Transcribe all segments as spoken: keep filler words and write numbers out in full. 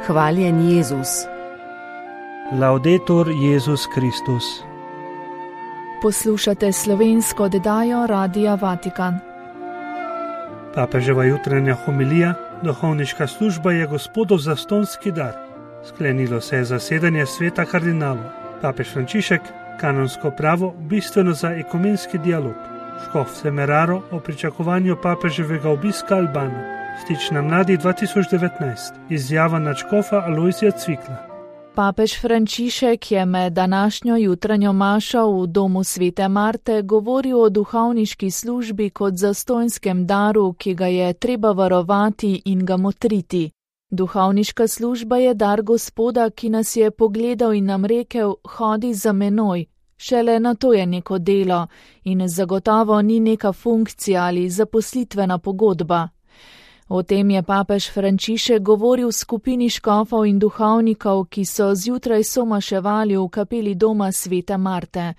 Hvaljen Jezus. Laudetur Jezus Kristus. Poslušate slovensko oddajo Radia Vatikan. Papeževa jutranja homilija, duhovniška služba je Gospodov zastonski dar. Sklenilo se je zasedanje sveta kardinalov. Papež Frančišek, kanonsko pravo, bistveno za ekumenski dialog. Škof Semeraro o pričakovanju papeževega obiska Albana. Stič na mladi dva tisoč devetnajst. Izjava nadškofa Alojzija Cvikla. Papež Frančišek je med današnjo jutranjo mašo v domu Svete Marte govoril o duhovniški službi kot zastonjskem daru, ki ga je treba varovati in ga motriti. Duhovniška služba je dar Gospoda, ki nas je pogledal in nam rekel: hodi za menoj. Šele na to je neko delo in zagotovo ni neka funkcija ali zaposlitvena pogodba. O tem je papež Frančišek govoril v skupini škofov in duhovnikov, ki so zjutraj somaševali v kapeli doma Svete Marte.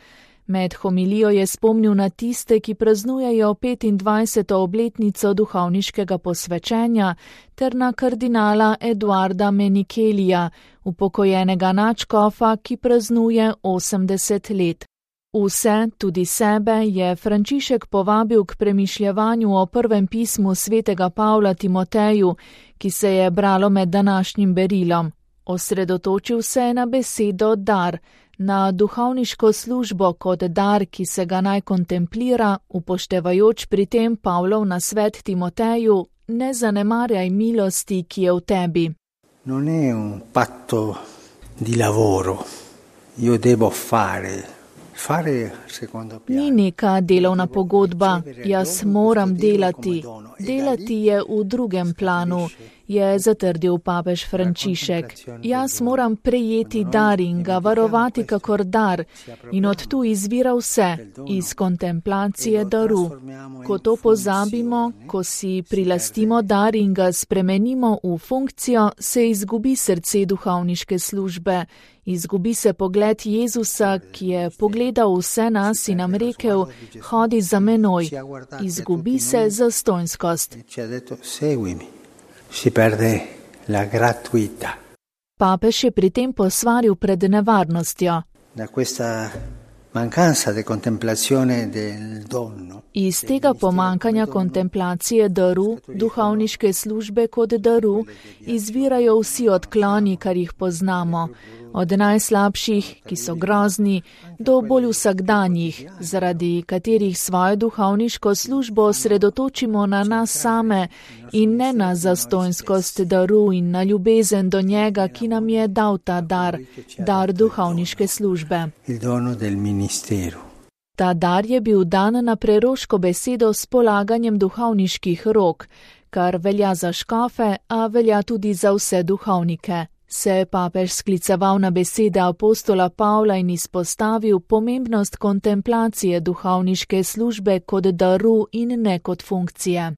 Med homilijo je spomnil na tiste, ki praznujejo petindvajseto obletnico duhovniškega posvečenja, ter na kardinala Eduarda Menikelija, upokojenega nadškofa, ki praznuje osemdeset let. Vse, tudi sebe, je Frančišek povabil k premišljevanju o prvem pismu svetega Pavla Timoteju, ki se je bralo med današnjim berilom. Osredotočil se je na besedo dar, na duhovniško službo kot dar, ki se ga naj kontemplira, upoštevajoč pri tem Pavlov nasvet Timoteju: ne zanemarjaj milosti, ki je v tebi. Non è un patto di lavoro. Io devo fare. Ni neka delovna pogodba, jaz moram delati. Delati je v drugem planu, je zatrdil papež Frančišek. Jaz moram prejeti dar in ga varovati kakor dar, in od tu izvira vse, iz kontemplacije daru. Ko to pozabimo, ko si prilastimo dar in ga spremenimo v funkcijo, se izgubi srce duhovniške službe. Izgubi se pogled Jezusa, ki je pogledal vse nas in nam rekel: hodi za menoj. Izgubi se zastonjskost. Papež je pri tem posvaril pred nevarnostjo. Iz tega pomankanja kontemplacije daru, duhovniške službe kot daru, izvirajo vsi odkloni, kar jih poznamo. Od najslabših, ki so grozni, do bolj vsakdanjih, zaradi katerih svojo duhovniško službo osredotočimo na nas same in ne na zastonjskost daru in na ljubezen do njega, ki nam je dal ta dar, dar duhovniške službe. Ta dar je bil dan na preroško besedo s polaganjem duhovniških rok, kar velja za škofe, a velja tudi za vse duhovnike. Se je papež skliceval na besede apostola Pavla in izpostavil pomembnost kontemplacije duhovniške službe kot daru in ne kot funkcije.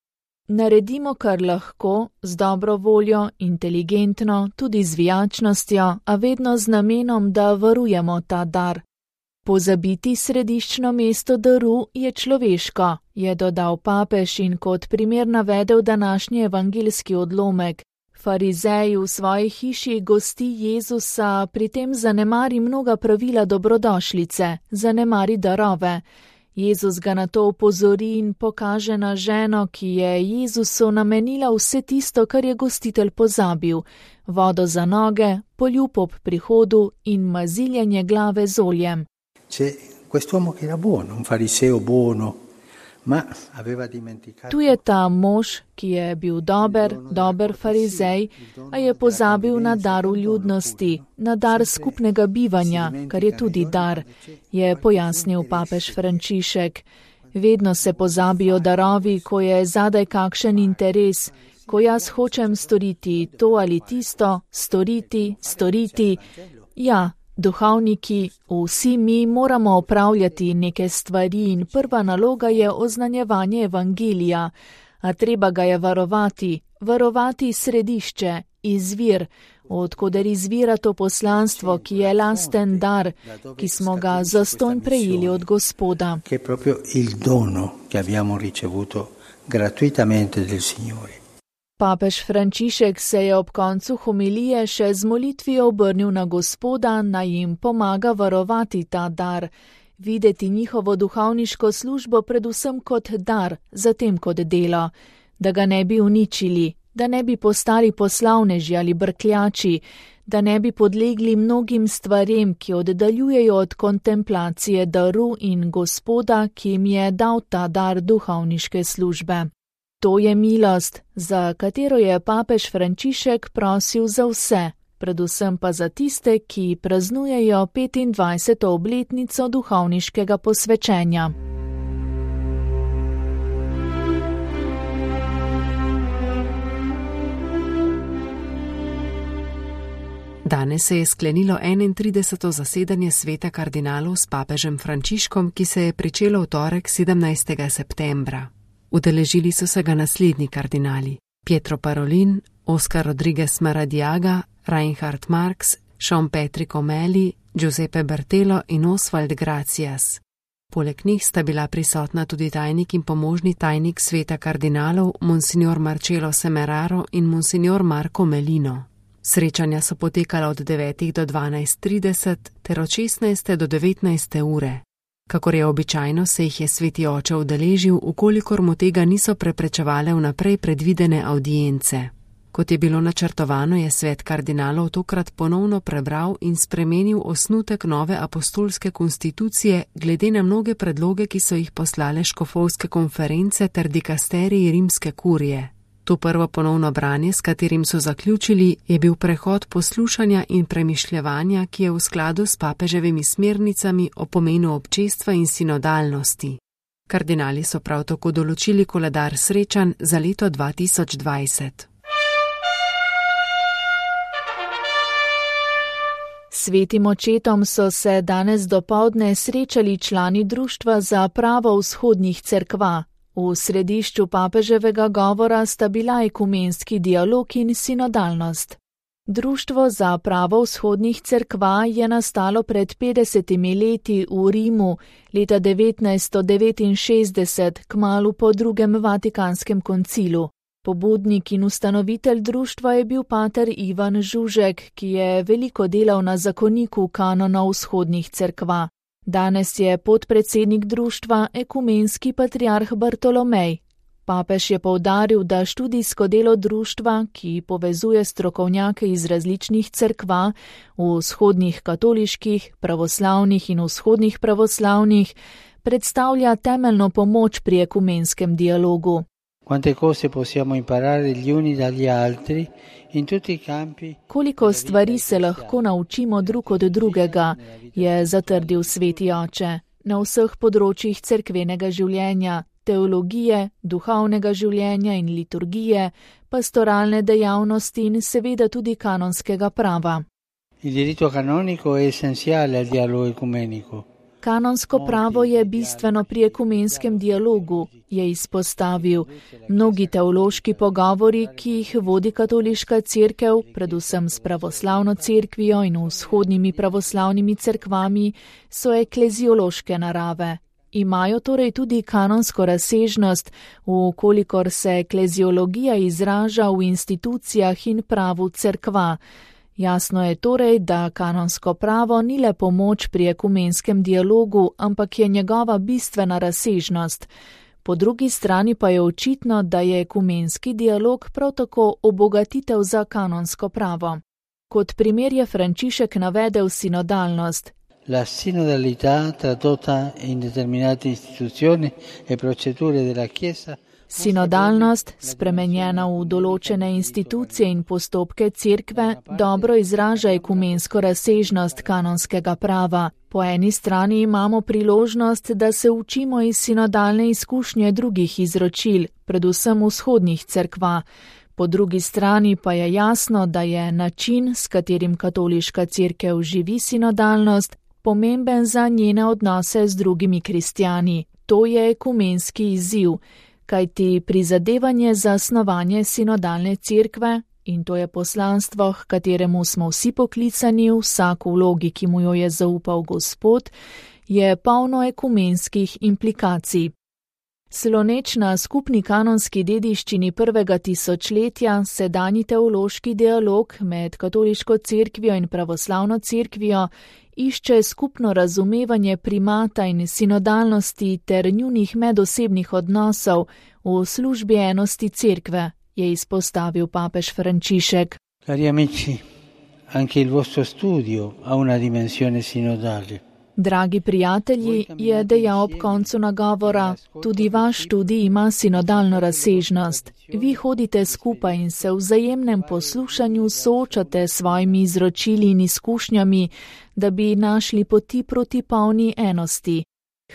Naredimo, kar lahko, z dobro voljo, inteligentno, tudi z vijačnostjo, a vedno z namenom, da varujemo ta dar. Pozabiti središčno mesto daru je človeško, je dodal papež in kot primer navedel današnji evangeljski odlomek. Farizej v svoji hiši gosti Jezusa, pri tem zanemari mnoga pravila dobrodošlice, zanemari darove. Jezus ga na to opozori in pokaže na ženo, ki je Jezusu namenila vse tisto, kar je gostitelj pozabil: vodo za noge, poljub ob prihodu in maziljenje glave z oljem. Tu je ta mož, ki je bil dober, dober farizej, a je pozabil na dar ljudnosti, na dar skupnega bivanja, kar je tudi dar, je pojasnil papež Frančišek. Vedno se pozabijo darovi, ko je zadaj kakšen interes, ko jaz hočem storiti to ali tisto, storiti, storiti. Ja, duhovniki, vsi mi moramo opravljati neke stvari in prva naloga je oznanjevanje evangelija, a treba ga je varovati, varovati središče, izvir, odkoder izvira to poslanstvo, ki je lasten dar, ki smo ga zastonj prejeli od Gospoda. Che è proprio il dono che abbiamo ricevuto gratuitamente del Signore. Papež Frančišek se je ob koncu homilije še z molitvijo obrnil na Gospoda, naj jim pomaga varovati ta dar, videti njihovo duhovniško službo predvsem kot dar, zatem kot delo, da ga ne bi uničili, da ne bi postali poslavneži ali brkljači, da ne bi podlegli mnogim stvarem, ki oddaljujejo od kontemplacije daru in Gospoda, ki jim je dal ta dar duhovniške službe. To je milost, za katero je papež Frančišek prosil za vse, predvsem pa za tiste, ki praznujejo petindvajseto obletnico duhovniškega posvečenja. Danes se je sklenilo enaintrideseto zasedanje sveta kardinalov s papežem Frančiškom, ki se je pričelo v torek sedemnajstega septembra. Udeležili so se ga naslednji kardinali: Pietro Parolin, Oscar Rodriguez Maradiaga, Reinhard Marx, Sean Patrick O'Malley, Giuseppe Bertelo in Oswald Gracias. Poleg njih sta bila prisotna tudi tajnik in pomožni tajnik sveta kardinalov, monsignor Marcello Semeraro in monsignor Marco Melino. Srečanja so potekala od devetih do dvanajst trideset ter od šestnajste do devetnajste ure. Kakor je običajno, se jih je sveti oče udeležil, ukolikor mu tega niso preprečevale vnaprej predvidene avdience. Kot je bilo načrtovano, je svet kardinalov tokrat ponovno prebral in spremenil osnutek nove apostolske konstitucije glede na mnoge predloge, ki so jih poslale škofovske konference ter dikasteriji rimske kurije. To prvo ponovno branje, s katerim so zaključili, je bil prehod poslušanja in premišljevanja, ki je v skladu s papeževimi smernicami o pomenu občestva in sinodalnosti. Kardinali so prav tako določili koledar srečanj za leto dva tisoč dvajset. Svetim očetom so se danes dopoldne srečali člani Društva za pravo vzhodnih cerkva. V središču papeževega govora sta bila ekumenski dialog in sinodalnost. Društvo za pravo vzhodnih cerkva je nastalo pred petdesetimi leti v Rimu, leta devetnajststo devetinšestdeset, kmalu po drugem Vatikanskem koncilu. Pobudnik in ustanovitelj društva je bil pater Ivan Žužek, ki je veliko delal na zakoniku kanona vzhodnih cerkva. Danes je podpredsednik društva ekumenski patriarh Bartolomej. Papež je poudaril, da študijsko delo društva, ki povezuje strokovnjake iz različnih cerkva, v vzhodnih katoliških, pravoslavnih in vzhodnih pravoslavnih, predstavlja temeljno pomoč pri ekumenskem dialogu. Koliko stvari se lahko naučimo drug od drugega, je zatrdil sveti oče, na vseh področjih cerkvenega življenja, teologije, duhovnega življenja in liturgije, pastoralne dejavnosti in seveda tudi kanonskega prava. Il diritto canonico è essenziale al dialogo ecumenico. Kanonsko pravo je bistveno pri ekumenskem dialogu, je izpostavil. Mnogi teološki pogovori, ki jih vodi katoliška cerkev, predvsem s pravoslavno cerkvijo in vzhodnimi pravoslavnimi cerkvami, so ekleziološke narave. Imajo torej tudi kanonsko razsežnost, vkolikor se ekleziologija izraža v institucijah in pravu cerkva. Jasno je torej, da kanonsko pravo ni le pomoč pri ekumenskem dialogu, ampak je njegova bistvena razsežnost. Po drugi strani pa je očitno, da je ekumenski dialog prav tako obogatitev za kanonsko pravo. Kot primer je Frančišek navedel sinodalnost. La sinodalità tradotta in determinate istituzioni e procedure della Chiesa. Sinodalnost, spremenjena v določene institucije in postopke cerkve, dobro izraža ekumensko razsežnost kanonskega prava. Po eni strani imamo priložnost, da se učimo iz sinodalne izkušnje drugih izročil, predvsem vzhodnih cerkva. Po drugi strani pa je jasno, da je način, s katerim katoliška cerkev živi sinodalnost, pomemben za njene odnose z drugimi kristjani. To je ekumenski izziv. Kajti prizadevanje za snovanje sinodalne cerkve, in to je poslanstvo, h kateremu smo vsi poklicani, vsak v vlogi, ki mu jo je zaupal Gospod, je polno ekumenskih implikacij. Sloneč na skupni kanonski dediščini prvega tisočletja sedanji teološki dialog med katoliško cerkvijo in pravoslavno cerkvijo išče skupno razumevanje primata in sinodalnosti ter njunih medosebnih odnosov v službi enosti cerkve, je izpostavil papež Frančišek. Cari amici, anche il vostro studio ha una dimensione sinodale. Dragi prijatelji, je dejal ob koncu nagovora, tudi vaš študij ima sinodalno razsežnost. Vi hodite skupaj in se v vzajemnem poslušanju soočate s svojimi izročili in izkušnjami, da bi našli poti proti polni enosti.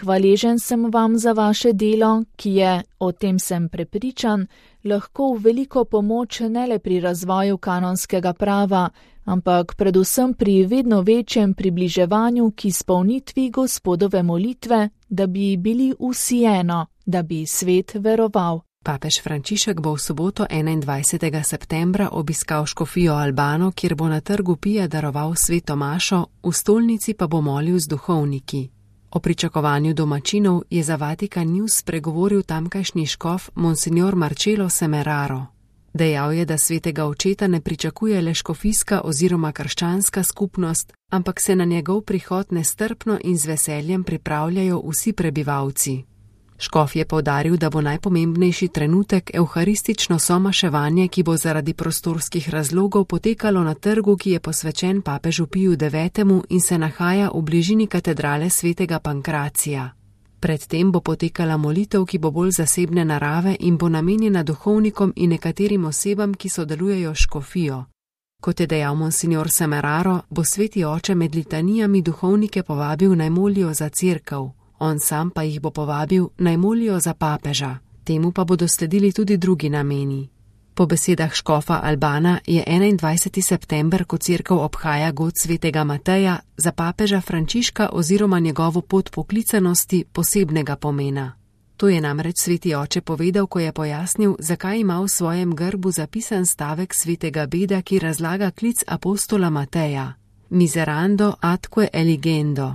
Hvaležen sem vam za vaše delo, ki je, o tem sem prepričan, lahko v veliko pomoč ne le pri razvoju kanonskega prava, ampak predvsem pri vedno večjem približevanju k izpolnitvi Gospodove molitve, da bi bili vsi eno, da bi svet veroval. Papež Frančišek bo v soboto enaindvajsetega septembra obiskal škofijo Albano, kjer bo na trgu Pije daroval sveto mašo, v stolnici pa bo molil z duhovniki. O pričakovanju domačinov je za Vatikan News spregovoril tamkajšnji škof Monsignor Marcello Semeraro. Dejal je, da svetega očeta ne pričakuje le škofijska oziroma krščanska skupnost, ampak se na njegov prihod nestrpno in z veseljem pripravljajo vsi prebivalci. Škof je poudaril, da bo najpomembnejši trenutek evharistično somaševanje, ki bo zaradi prostorskih razlogov potekalo na trgu, ki je posvečen papežu Piju devetemu in se nahaja v bližini katedrale svetega Pankracija. Predtem bo potekala molitev, ki bo bolj zasebne narave in bo namenjena duhovnikom in nekaterim osebam, ki sodelujejo s škofijo. Kot je dejal Monsignor Semeraro, bo sveti oče med litanijami duhovnike povabil naj molijo za cerkev. On sam pa jih bo povabil naj molijo za papeža. Temu pa bodo sledili tudi drugi nameni. Po besedah škofa Albana je enaindvajseti september, ko cerkev obhaja god svetega Mateja, za papeža Frančiška oziroma njegovo pot poklicanosti posebnega pomena. To je namreč sveti oče povedal, ko je pojasnil, zakaj ima v svojem grbu zapisan stavek svetega Beda, ki razlaga klic apostola Mateja. Miserando atque eligendo.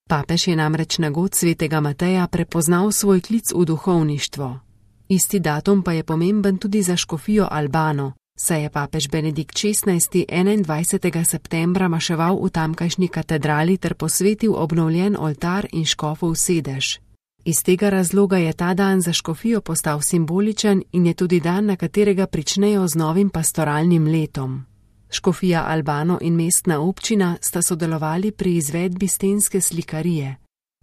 Papež je namreč na god svetega Mateja prepoznal svoj klic v duhovništvo. Isti datum pa je pomemben tudi za škofijo Albano, saj je papež Benedikt šestnajsti enaindvajsetega septembra maševal v tamkajšnji katedrali ter posvetil obnovljen oltar in škofov sedež. Iz tega razloga je ta dan za škofijo postal simboličen in je tudi dan, na katerega pričnejo z novim pastoralnim letom. Škofija Albano in mestna občina sta sodelovali pri izvedbi stenske slikarije.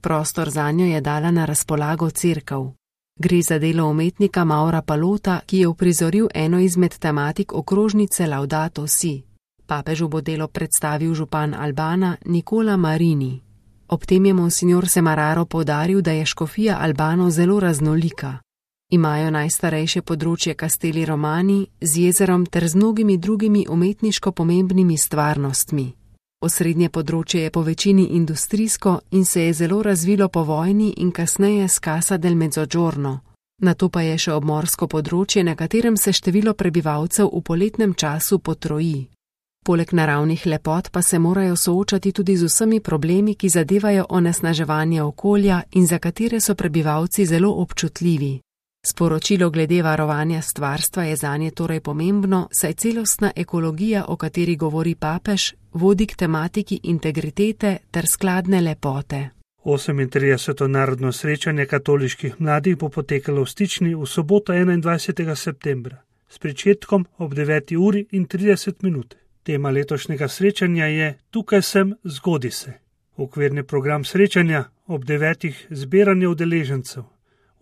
Prostor zanjo je dala na razpolago cerkev. Gre za delo umetnika Maura Palota, ki je uprizoril eno izmed tematik okrožnice Laudato Si. Papežu bo delo predstavil župan Albana Nicola Marini. Ob tem je Monsignor Semeraro poudaril, da je škofija Albano zelo raznolika. Imajo najstarejše področje Castelli Romani z jezerom ter z mnogimi drugimi umetniško pomembnimi stvarnostmi. Osrednje področje je po večini industrijsko in se je zelo razvilo po vojni in kasneje s Casa del Mezzogiorno. Nato pa je še obmorsko področje, na katerem se število prebivalcev v poletnem času potroji. Poleg naravnih lepot pa se morajo soočati tudi z vsemi problemi, ki zadevajo onesnaževanje okolja in za katere so prebivalci zelo občutljivi. Sporočilo glede varovanja stvarstva je zanje torej pomembno, saj celostna ekologija, o kateri govori papež, vodi k tematiki integritete ter skladne lepote. osemintrideseto narodno srečanje katoliških mladih bo potekalo v Stični v soboto enaindvajsetega septembra s pričetkom ob deveti uri in trideset minut. Tema letošnjega srečanja je Tukaj sem, zgodi se. Okvirni program srečanja ob devetih zbiranje udeležencev.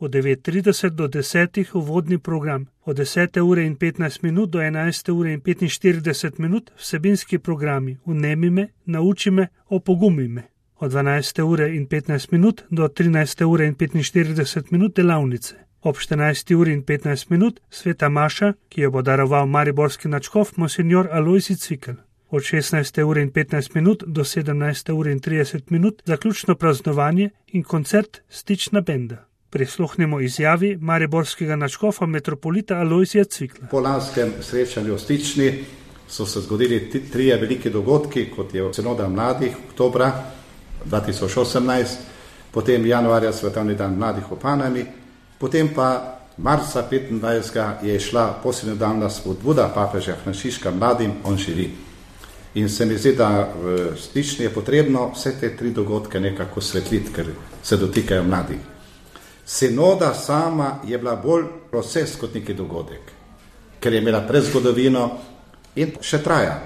Od devet trideset do desetih uvodni program, od desete ure in petnajst minut do enajste ure in petinštirideset minut vsebinski programi Vnemi me, nauči me, opogumi me. Od dvanajste ure in petnajst minut do trinajste ure in petinštirideset minut delavnice. Ob štirinajsti uri in petnajst minut sveta maša, ki jo bo daroval mariborski nadškof Monsignor Alojzij Cvikl. Od šestnajste ure in petnajst minut do sedemnajste ure in trideset minut zaključno praznovanje in koncert Stična benda. Prisluhnimo izjavi mariborskega nadškofa metropolita Alojzija Cvikla. Po lanskem srečanju v Stični so se zgodili trije veliki dogodki, kot je Sinoda mladih oktobra dva tisoč osemnajst, potem januarja Svetovni dan mladih v Panami Potem pa marca petindvajsetega je šla poslednja spodbuda papeža Frančiška mladim, on živi. In se mi zdi, da v stični je potrebno vse te tri dogodke nekako svetliti, ker se dotikajo mladih. Sinoda sama je bila bolj proces kot neki dogodek, ker je imela predzgodovino in še traja.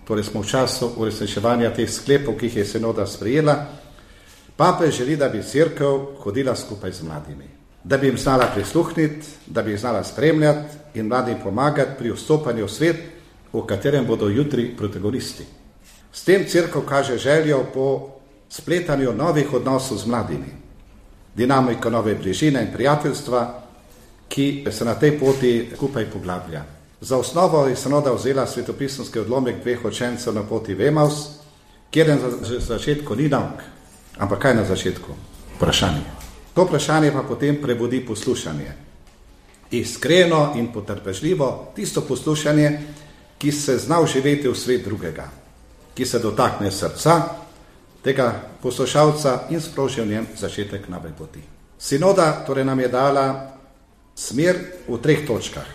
Torej smo v času uresničevanja teh sklepov, ki jih je sinoda sprejela. Papež želi, da bi cerkev hodila skupaj z mladimi, da bi jim znala prisluhniti, da bi jih znala spremljati in mladim pomagati pri vstopanju v svet, v katerem bodo jutri protagonisti. S tem cerkev kaže željo po spletanju novih odnosov z mladimi, dinamiko nove bližine in prijateljstva, ki se na tej poti skupaj poglablja. Za osnovo je sinoda vzela svetopisemski odlomek dveh učencev na poti v Emaus, kjer na začetku ni nauk, ampak kaj na začetku? Vprašanje. To vprašanje pa potem prebudi poslušanje. Iskreno in potrpežljivo tisto poslušanje, ki se zna vživeti v svet drugega, ki se dotakne srca tega poslušalca in sproži v njem začetek nove poti. Sinoda torej nam je dala smer v treh točkah.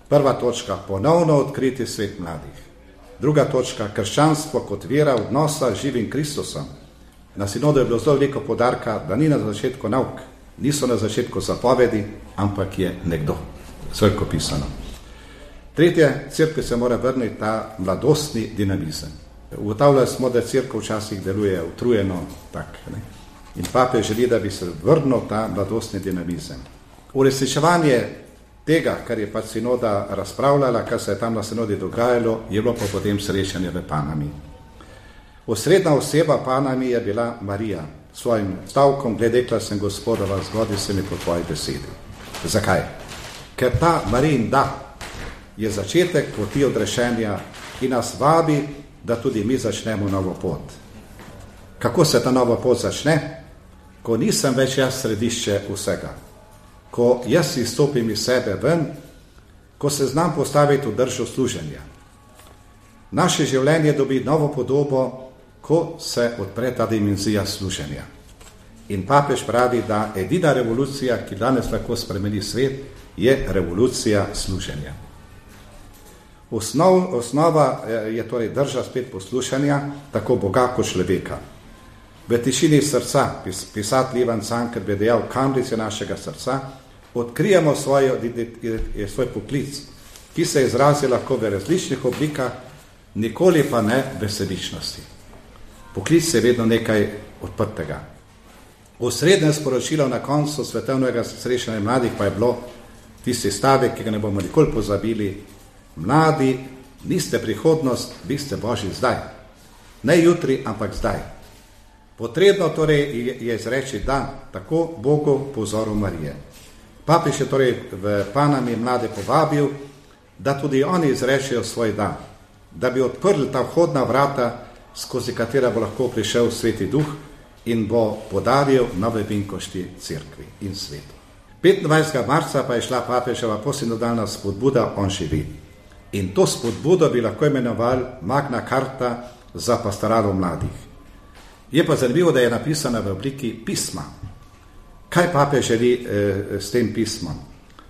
Prva točka, ponovno odkriti svet mladih. Druga točka, krščanstvo kot vera odnosa z živim Kristusom. Na sinodu je bilo zelo veliko poudarka, da ni na začetku nauk, niso na začetku zapovedi, ampak je nekdo, srko pisano. Tretje, cerkev se mora vrniti ta mladostni dinamizem. Ugotavljali smo, da cerkev včasih deluje utrujeno tak, ne? In papež želi, da bi se vrnil ta mladostni dinamizem. Uresničevanje tega, kar je pač sinoda razpravljala, kar se je tam na sinodi dogajalo, je bilo pa potem srečanje v Panami. Osrednja oseba Panami je bila Marija. S svojim stavkom, glede sem Gospodova, zgodi se mi po tvoji besedi. Zakaj? Ker ta Marijin da je začetek poti odrešenja, ki nas vabi, da tudi mi začnemo novo pot. Kako se ta nova pot začne? Ko nisem več jaz središče vsega. Ko jaz izstopim iz sebe ven, ko se znam postaviti v držo služenja. Naše življenje dobi novo podobo, ko se odpre ta dimenzija služenja. In papež pravi, da edina revolucija, ki danes lahko spremeni svet, je revolucija služenja. Osnov, osnova je torej drža spet poslušanja, tako Boga kot človeka. V tišini srca, pis, pisatelj Ivan Cankar bi dejal, kamrice našega srca, odkrijemo svojo, svoj poklic, ki se izrazi lahko v različnih oblikah, nikoli pa ne v sebičnosti. Poklic je vedno nekaj odprtega. Osrednje sporočilo na koncu svetovnega srečanja mladih pa je bilo tisti stavek, ki ga ne bomo nikoli pozabili: mladi, niste prihodnost, vi ste Božji zdaj. Ne jutri, ampak zdaj. Potrebno torej je izreči da, tako Bogu po vzoru Marije. Papež je torej v Panami mlade povabil, da tudi oni izrečejo svoj da, da bi odprli ta vhodna vrata, skozi katera bo lahko prišel Sveti Duh in bo podaril nove vinkošti cerkvi in svetu. petindvajsetega marca pa je šla papeževa posinodalna spodbuda On živi. In to spodbudo bi lahko imenovali Magna Carta za pastoralo mladih. Je pa zanimivo, da je napisana v obliki pisma. Kaj papež želi eh, s tem pismom?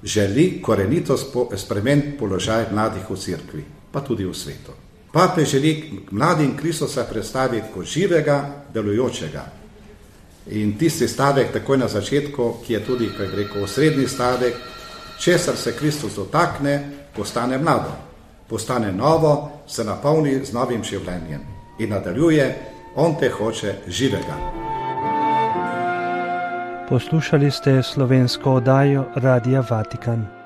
Želi korenito spremeniti položaj mladih v cerkvi, pa tudi v svetu. Papež želi mladim Kristusa predstaviti kot živega, delujočega. In tisti stavek takoj na začetku, ki je tudi, kaj rekel, osrednji stavek, česar se Kristus dotakne, postane mlado, postane novo, se napolni z novim življenjem. In nadaljuje: on te hoče živega. Poslušali ste slovensko oddajo Radia Vatikan.